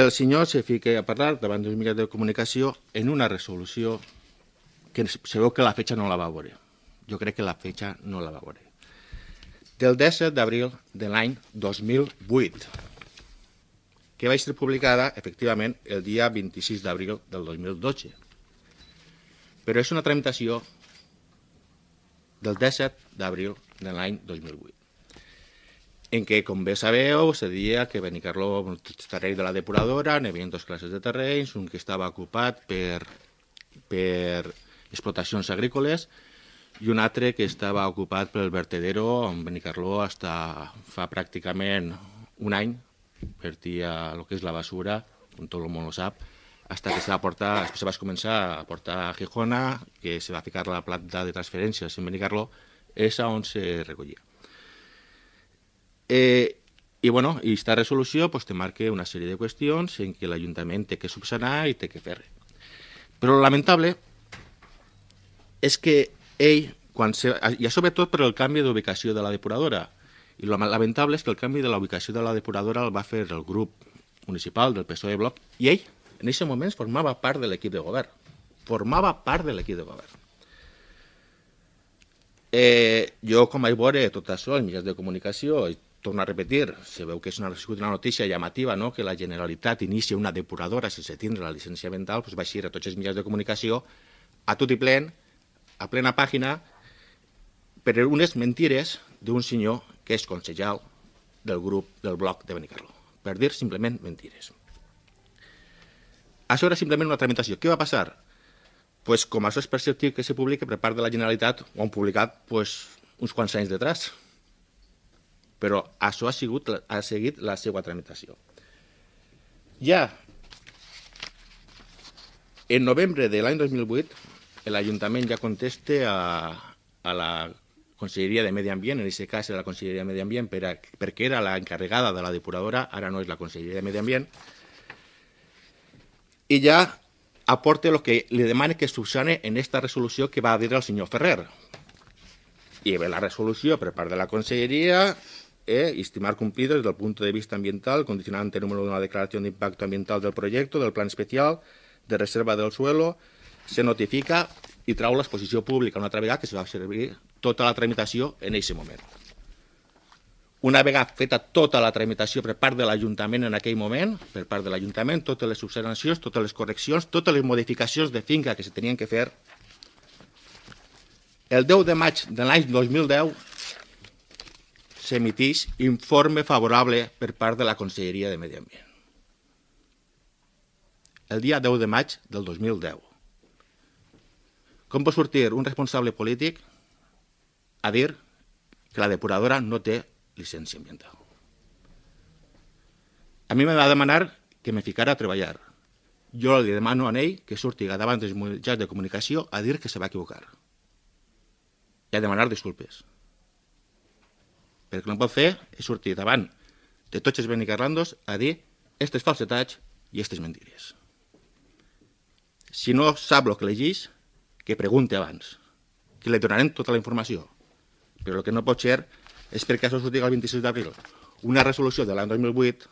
el senyor se fica a parlar davant dels mitjans de comunicació en una resolució que se veu que la fetge no la va veure. Jo crec que la fetge no la va veure. Del 17 d'abril de l'any 2008, que va ser publicada, efectivament, el dia 26 d'abril del 2012. Però és una tramitació del 17 d'abril de l'any 2008, en què, com bé sabeu, se deia que Benicarló, el terreny de la depuradora, n'hi havia dues classes de terrenys, un que estava ocupat per explotacions agrícoles i un altre que estava ocupat pel vertedero on Benicarló fa pràcticament un any vertia el que és la basura, com tot el món ho sap, fins que se va començar a portar a Gijona, que se va ficar la planta de transferències en Benicarló, és on se recollia. I aquesta resolució te marca una sèrie de qüestions en què l'Ajuntament té que subsanar i té que fer. Però el lamentable és que ell, i sobretot per el canvi d'ubicació de la depuradora, i el lamentable és que el canvi de la ubicació de la depuradora el va fer el grup municipal del PSOE Bloc, i ell, en aquest moment, formava part de l'equip de govern. Formava part de l'equip de govern. Jo, com vaig veure tot això als mitjans de comunicació, i torno a repetir, se veu que és una notícia llamativa, que la Generalitat inicia una depuradora sense tindre la llicència ambiental, vaig ir a tots els mitjans de comunicació a tot i plen, a plena pàgina, per unes mentires d'un senyor que és consellal del grup del Bloc de Benicarló. Per dir simplement mentires. Això era simplement una tramitació. Què va passar? Com això és perceptiu que se publica per part de la Generalitat, ho han publicat uns quants anys detrás. Però això ha seguit la seva tramitació. Ja en novembre de l'any 2008, l'Ajuntament ja contesta a la Conselleria de Medi Ambient, en aquest cas era la Conselleria de Medi Ambient perquè era l'encarregada de la depuradora, ara no és la Conselleria de Medi Ambient, i ja aporta el que li demana que subsane en aquesta resolució que va dir el senyor Ferrer. I ve la resolució per part de la Conselleria, estimar cumplido desde el punto de vista ambiental, condicionante número 1 a la declaración de impacto ambiental del proyecto, del plan especial de reserva del suelo, se notifica i trau l'exposició pública una altra vegada que se va servir tota la tramitació en aquest moment. Una vegada feta tota la tramitació per part de l'Ajuntament en aquell moment, per part de l'Ajuntament, totes les subsanacions, totes les correccions, totes les modificacions de finca que se tenien que fer, el 10 de maig de l'any 2010 s'emiteix informe favorable per part de la Conselleria de Medi Ambient. El dia 10 de maig del 2010. Com pot sortir un responsable polític a dir que la depuradora no té llicència ambiental? A mi m'ha de demanar que me ficara a treballar. Jo li demano a ell que surti davant dels mitjans de comunicació a dir que se va equivocar i a demanar disculpes. Perquè el que no pot fer és sortir davant de tots els benicarlandos a dir aquestes falsetats i aquestes mentires. Si no sap el que llegeix, que pregunti abans, que li donarem tota la informació. Però el que no pot ser és perquè això sortirà el 26 d'abril una resolució de l'any 2008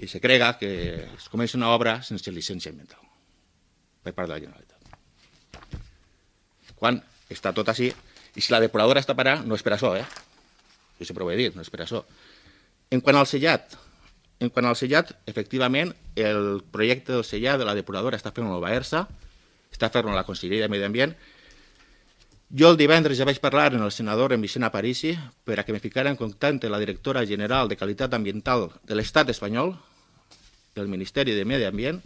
i se crega que es comença una obra sense llicència ambiental per part de la Generalitat. Quan està tot així, i si la depuradora està parada, no és per això, jo sempre ho he dit, no és per això. En quant al sellat, efectivament, el projecte del sellat de la depuradora està fent-lo a Baersa, està fent-lo a la Conselleria de Medi Ambient. Jo el divendres ja vaig parlar amb el senador en Vicent Aparici per a que me ficara en contacte la directora general de Qualitat Ambiental de l'Estat espanyol, del Ministeri de Medi Ambient,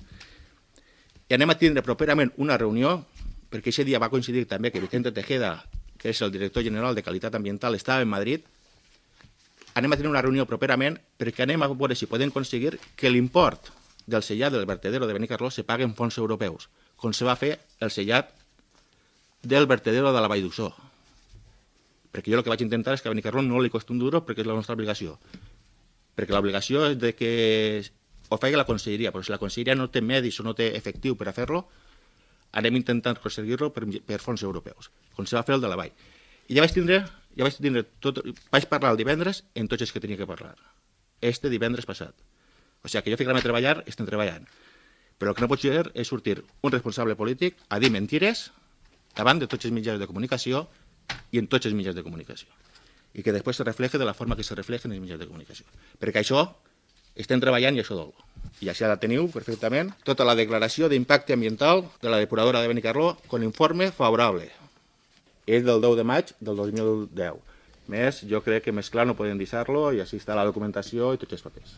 i anem a tindre properament una reunió, perquè aquest dia va coincidir també que Vicente Tejeda, que és el director general de Qualitat Ambiental, estava en Madrid. Anem a tenir una reunió properament perquè anem a veure si podem aconseguir que l'import del sellat del vertedero de Benicarló se pagui en fons europeus, com se va fer el sellat del vertedero de la Vall d'Uixó. Perquè jo el que vaig intentar és que a Benicarló no li costi un duro perquè és la nostra obligació. Perquè l'obligació és de que ho faci la Conselleria, però si la Conselleria no té medis o no té efectiu per a fer-lo, anem intentant aconseguir-lo per fons europeus, com se va fer el de la Vall. I vaig parlar el divendres en tots els que tenia que parlar. Divendres passat. O sigui, que jo ficar-me a treballar, estem treballant. Però el que no pot ser és sortir un responsable polític a dir mentires davant de tots els mitjans de comunicació i en tots els mitjans de comunicació. I que després se refleje de la forma que se refleja en els mitjans de comunicació. Perquè això estem treballant i això dol. I així la teniu perfectament tota la declaració d'impacte ambiental de la depuradora de Benicarló con informe favorable. És del 10 de maig del 2010. Més, jo crec que més clar no podem deixar-lo i així està la documentació i tots els papers.